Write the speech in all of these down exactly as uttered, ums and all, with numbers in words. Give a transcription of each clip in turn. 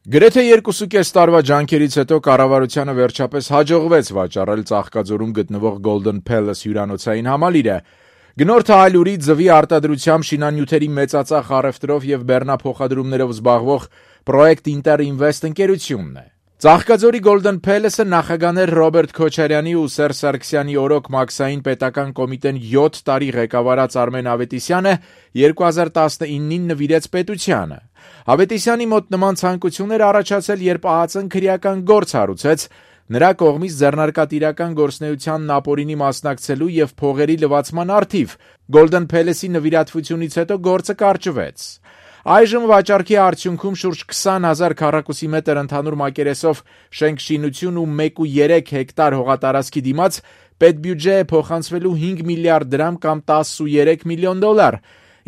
Գրեթե երկուսուկես տարվա ջանքերից հետո կառավարությանը վերջապես հաջողվեց վաճառել Ծաղկաձորում գտնվող Golden Palace հյուրանոցային համալիրը։ Գնորդը այլուրի ձվի արտադրությամբ շինանյութերի մեծածախ առևտրով եւ բեռնափոխադրումներով զբաղվող Project Inter Invest ընկերությունն է։ Ծաղկաձորի Golden Palace-ը նախագաներ Ռոբերտ Քոչարյանի ու Սերժ Սարգսյանի օրոք Մաքսային պետական կոմիտեն յոթ տարի ղեկավարած Արմեն Ավետիսյանը երկու հազար տասնինին նվիրեց պետությանը։ Ավետիսյանի մոտ նման ցանկություն էր առաջացել, երբ ԱԱԾ-ն քրեական գործ հարուցեց նրա կողմից ձեռնարկատիրական գործունեությանն ապօրինի մասնակցելու եւ փողերի լվացման առթիվ։ Golden Palace-ի նվիրատվությունից հետո գործը կարճվեց։ Այժմ վաճառքի արդյունքում շուրջ քսան հազար քառակուսի մետր ընդհանուր մակերեսով շենք-շինություն ու մեկ կόμμα երեք հեկտար հողատարածքի դիմաց պետբյուջե է փոխանցվելու հինգ միլիարդ դրամ կամ տասնուերեք միլիոն դոլար,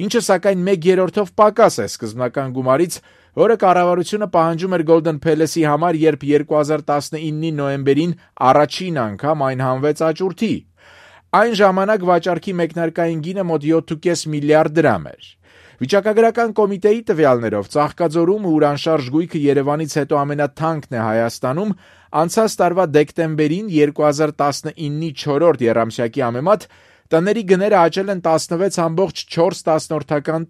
ինչը սակայն մեկ երրորդով պակաս է սկզբնական գումարից, որը կառավարությունը պահանջում էր Golden Palace-ի համար, երբ երկու հազար տասնինի նոյեմբերին առաջին անգամ այն հանվեց աճուրդի։ Այն ժամանակ վաճառքի մեկնարկային գինը մոտ յոթ կόμma պենս միլիարդ դրամ էր։ Վիճակագրական կոմիտեի տվյալներով Ծաղկաձորում ուրանշարժ գույքը Երևանից հետո ամենաթանկն է Հայաստանում, անցած տարվա դեկտեմբերին երկու հազար տասնինի չորրորդ եռամսյակի համեմատ տների գները աճել են տասնվեց կόμma չորս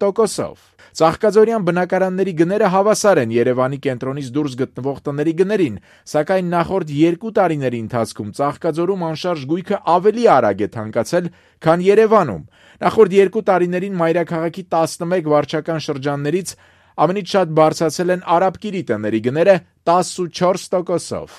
տոկոսով։ Ծաղկաձորյան բնակարանների գները հավասար են Երևանի կենտրոնից դուրս գտնվող տների գներին, սակայն նախորդ երկու տարիների ընթացքում Ծաղկաձորում անշարժ գույքը ավելի արագ է թանկացել, քան Երևանում։ Նախորդ երկու տարիներին մայրաքաղաքի տասնմեկ վարչական շրջաններից ամենից շատ բարձրացել են Արաբկիրի տների գները տասնչորս տոկոսով։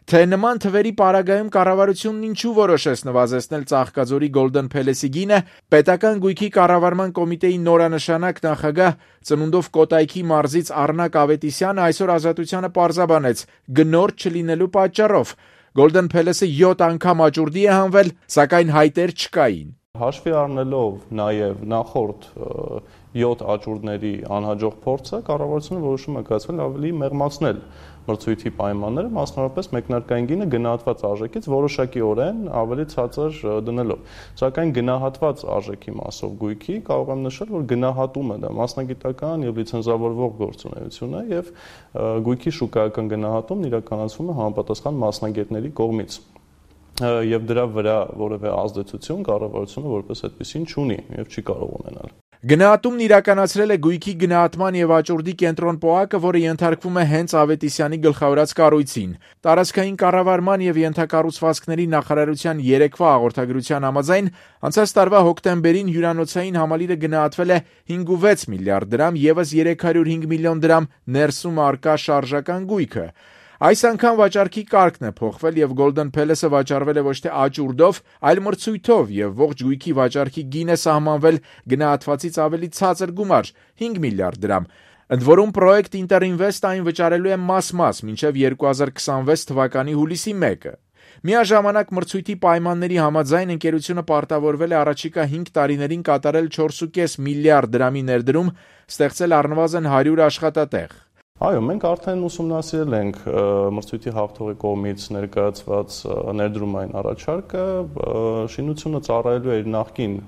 Թե նման թվերի պարագայում կառավարությունն ինչու որոշեց նվազեցնել Ծաղկաձորի Golden Palace-ի գինը, պետական գույքի կառավարման կոմիտեի նորանշանակ նախագահ ծնունդով Կոտայքի մարզից Առնակ Ավետիսյանը այսօր Ազատությանը պարզաբանեց գնորդ չլինելու պատճառով։ Golden Palace-ը յոթ անգամ աճուրդի է հանվել, սակայն հայտեր չկային։ Հաշվի առնելով նաև նախորդ յոթ աճուրդների անհաջող փորձը, կառավարությունը որոշում է կայացրել ավելի մեղմացնել մրցույթի պայմանները, մասնավորապես մեկնարկային գինը գնահատված արժեքից որոշակիորեն ավելի ցածր դնելով։ Սակայն գնահատված արժեքի մասով գույքի կարող եմ նշել, որ գնահատումը դա մասնագիտական եւ լիցենզավորվող գործունեություն է եւ գույքի շուկայական գնահատումն իրականացվում է համապատասխան մասնագետների կողմից։ Եվ դրա վրա որևէ ազդեցություն կառավարությունը որպես այդպեսին չունի եւ չի կարող ունենալ։ Գնահատումն իրականացրել է գույքի գնահատման եւ աճուրդի կենտրոն ՊՕԱԿ-ը, որը ենթարկվում է հենց Ավետիսյանի գլխավորած կառույցին։ Տարածքային կառավարման եւ ենթակառուցվածքների նախարարության երեկվա հաղորդագրության համաձայն անցած տարվա հոկտեմբերին հյուրանոցային համալիրը գնահատվել է հինգ վեց միլիարդ դրամ, եւս երեք հարյուր հինգ միլիոն դրամ ներսում առկա շարժական գույքը։ Այս անգամ վաճառքի կարգն է փոխվել եւ Golden Palace-ը վաճառվել է ոչ թե աճուրդով, այլ մրցույթով եւ ողջ գույքի վաճառքի գինը սահմանվել գնահատվածից ավելի ցածր գումար՝ հինգ միլիարդ դրամ։ Ընդ որում Project Inter Invest այն վճարելու է մաս-մաս մինչև երկու հազար քսանվեց թվականի հուլիսի մեկը։ Միաժամանակ մրցույթի պայմանների համաձայն ընկերությունը պարտավորվել է առաջիկա հինգ տարիներին կատարել չորս կόμma պենս միլիարդ դրամի ներդրում, ստեղծել առնվազն հարյուր աշխատատեղ։ Այո, մենք արդեն ուսումնասիրել ենք մրցույթի հաղթողի կողմից ներկայացված ներդրումային առաջարկը, շինությունը ծառայելու է իր նախկին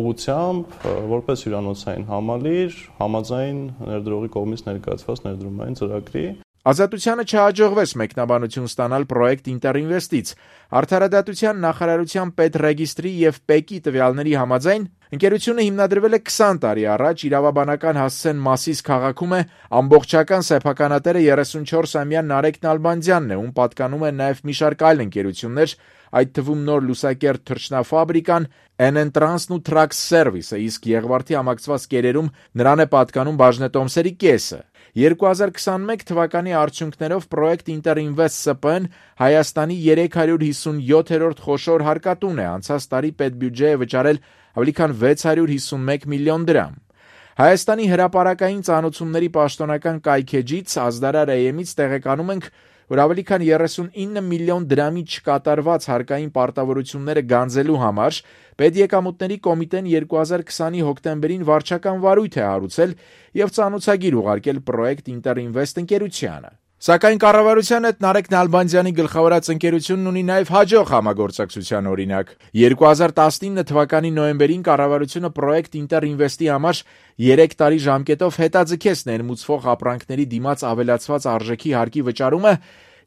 ուղղությամբ, որպես հյուրանոցային համալիր, համաձայն ներդրողի կողմից ներկայացված ներդրումային ծրագրի։ Ազատությանը չհաջողվեց մեկնաբանություն ստանալ Project Inter Invest-ից։ Արդարադատության նախարարության պետռեգիստրի եւ ՊԵԿ-ի տվյալների համաձայն ընկերությունը հիմնադրվել է քսան տարի առաջ, իրավաբանական հասցեն Մասիս քաղաքում է, ամբողջական սեփականատերը երեսունչորսամյա Նարեկ Նալբանդյանն է, ում պատկանում են նաեւ մի շարք այլ ընկերություններ, այդ թվում Նոր Լուսակերտ թռչնաֆաբրիկան, Enentrans-ն ու Trax Service-ը, իսկ Եղվարդի համակցված կերերում նրան է պատկանում բաժնետոմսերի կեսը։ երկու հազար քսանմեկ թվականի արդյունքներով Project Inter Invest Սը Պը-ն Հայաստանի երեք հարյուր հիսունյոթերորդ խոշոր հարկատուն է, անցած տարի պետբյուջե է վճարել ավելի քան վեց հարյուր հիսունմեկ միլիոն դրամ։ Հայաստանի հրապարակային ծանոթությունների պաշտոնական կայքեջից Ազդարար Էյ Էմ-ից տեղեկանում ենք, որ ավելի քան երեսունինը միլիոն դրամի չկատարված հարկային պարտավորությունները գանձելու համար Պետեկամուտների կոմիտեն երկու հազար քսանի հոկտեմբերին վարչական վարույթ է հարուցել եւ ծանոթագիր ուղարկել Project Inter Invest ընկերությանը։ Սակայն կառավարության հետ Նարեկ Նալբանդյանի գլխավորած ընկերությունն ունի նաև հաջող համագործակցության օրինակ։ երկու հազար տասնինը թվականի նոյեմբերին կառավարությունը պրոյեկտ Ինտերինվեստի համար երեք տարի ժամկետով հետաձգեց ներմուծվող ապրանքների դիմաց ավելացված արժեքի հարկի վճարումը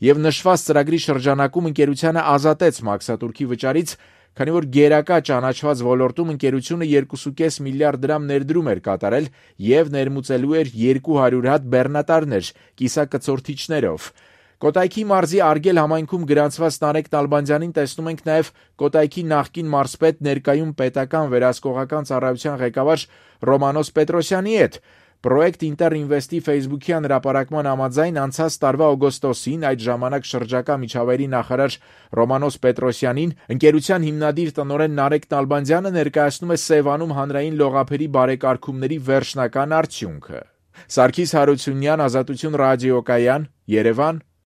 եւ նշված ծրագրի շրջանակում ընկերությանը ազատեց մաքսատուրքի վճարից, քանի որ գերակա ճանաչված ոլորտում ընկերությունը երկու կoma պենս միլիարդ դրամ ներդրում էր կատարել եւ ներմուծելու էր երկու հարյուր հատ բեռնատարներ կիսակցորդիչներով։ Կոտայքի մարզի Արգել համայնքում գրանցված Նարեկ Նալբանդյանին տեսնում ենք նաև Կոտայքի նախկին մարզպետ, ներկայում պետական վերահսկողական ծառայության ղեկավար Ռոմանոս Պետրոսյանի հետ։ Պրոյեկտ Ինտերինվեստի ֆեյսբուքյան հրապարակման համաձայն անցած տարվա օգոստոսին այդ ժամանակ շրջակա միջավայրի նախարար Ռոմանոս Պետրոսյանին ընկերության հիմնադիր տնօրեն Նարեկ Նալբանդյանը ներկայացնում է Սևանում հանրային լողափերի բարեկարգումների վերջնական արդյունքը։ Սարգիս Հարությունյան, Ազատություն ռադիոկայան, Երևան,